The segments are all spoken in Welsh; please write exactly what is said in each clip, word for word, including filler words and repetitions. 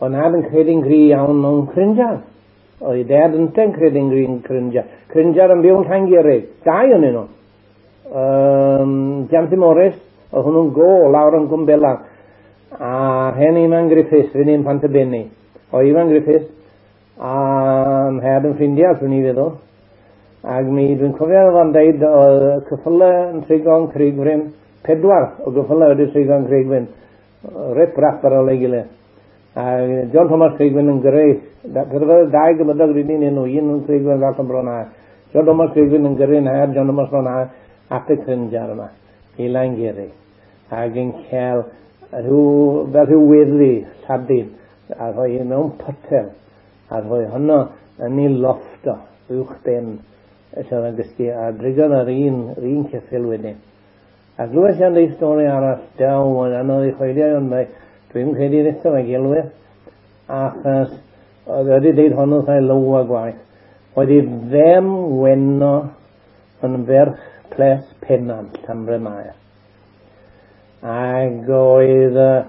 Oedd nhad yn credu'n gry iawn mewn crinjar. Oedd ei dad ynte'n credu'n gry'n crinjar. Crinjar yn byw yn Llangurig. Dau o'n nhw. Um, Janty Morris, oedd hwnnw'n go lawr yn Gwmbela. A hen Ivan Griffiths, fy'n un Pantybenni. O Ivan Griffiths, a nhad yn ffrindiau, swn i feddwl. Ac mi, dwi'n cofio oedd o'n deud, oedd cyffylau yn trigo'n Crigfryn, pedwar o gyffylau wedi trigo'n Crigfryn, rip rap ar ôl ei gilydd. A John Thomas Crigfryn yn gyrru, pedwar dau gymydog rydyn ni nhw, un yn Crigfryn ras yn Bron Aur. John Thomas Crigfryn yn gyrru nhad, John Thomas Bron Aur, at y crynjar yma, i Langurig. Ac yn cael rhyw, fel rhyw weddi, lladin, a rhoi mewn potel, a rhoi honno yn ei lofft o, uwch ben, lle oedd yn gysgu, a drigodd yr un, yr un ceffyl wedyn. A glywes i am deud stori arall, daw, mae'n anodd i choelio, ond mae, dwi'n credu eto mae gelwyr, achos oedd wedi deud honno wrth ei lyw a gwaith. Oedd ei fem weno yn ferch Ples Pennant, Llanbryn-mair. Ac oedd uh,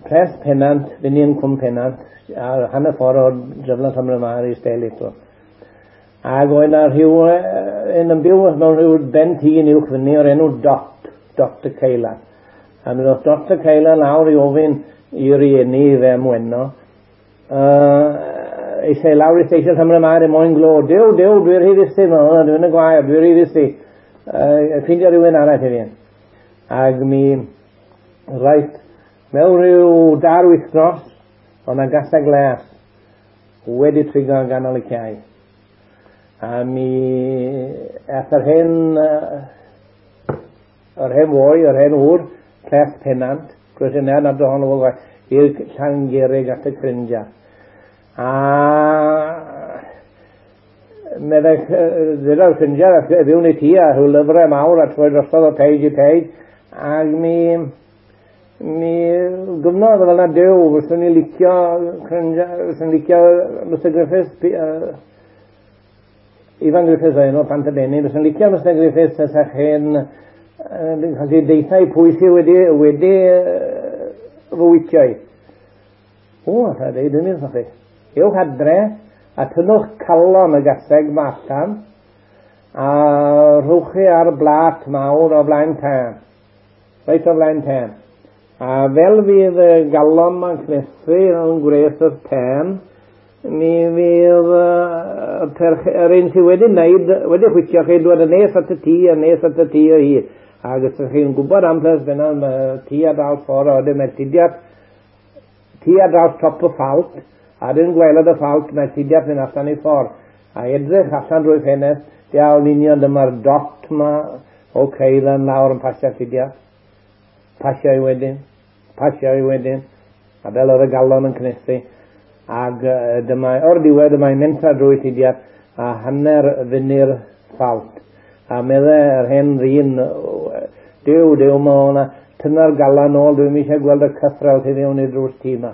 Ples Pennant, fyny yn Cwm Pennant, a hanner ffordd o'r dreflan Llanbryn-mair i Stelitw. Ac oedd na rhyw, un yn byw mewn rhyw ben tŷ uwch fyny o'r enw Dot, Dot y Ceila. A mi ddoth Dot y Ceila lawr i ofyn i rieni i fem weno. Uh, eisiau lawr i stesion Llanbryn-mair i moyn glo. Dew, dew, dwi'n rhy fusy, dwi'n y gwair, dwi'n rhy fusy. Uh, ffindio rhywun arall i fi. Ac mi, reit, mewn rhyw dar wythnos, oedd na gaseg glas wedi trigo yn ganol y cae. A mi ath yr hen, yr hen foi, yr hen ŵr, Ples Pennant, gwrs yna, nad ohono fo i'r Llangurig at y crinjar. A meddai, ddyla'r crinjar, a fewn i ti, a rhyw lyfrau mawr, a troi drosodd o page i page, ac mi, mi gyfnodd fel na dew, fyswn i licio crinjar, fyswn i licio Mister Griffiths, uh, Ivan Griffiths oedd enw Pantybenni, fyswn licio Mister Griffiths ysach hen cael ei deitha i pwy sydd wedi, wedi uh, fywydio i. O, a dweud yn wrthych chi. Ewch adre a tynnwch calon y gaseg ma allan a rhowch chi ar blat mawr o flaen tân. Reit o flaen tân. A fel fydd y galon ma'n cnesu yn gwres y tân, mi fydd uh, perch, yr un sydd wedi wneud, wedi chwitio chi, dod yn nes at y tŷ, a nes at y tŷ o hyd. Ac os ydych chi'n gwybod am Ples Pennant, tŷ ar draws ffordd, a wedyn mae tudiad, tŷ ar draws top y ffalt, a dyn gwaelod y ffalt, mae tudiad mynd allan i ffordd. A edrych allan drwy ffenest, iawn union dyma'r dot ma o Ceilan lawr yn pasio tudiad. Pasio i wedyn, pasio i wedyn, a fel oedd y galon yn cnesu. Ac dyma, o'r diwedd, dyma'n mentra drwy tudiad, a hanner fyny'r ffalt. A meddai yr hen ddyn, dew, dew, ma hwnna, tynna'r galan nôl, dwi'n eisiau gweld y cythrel tu fewn i'r drws tŷ ma.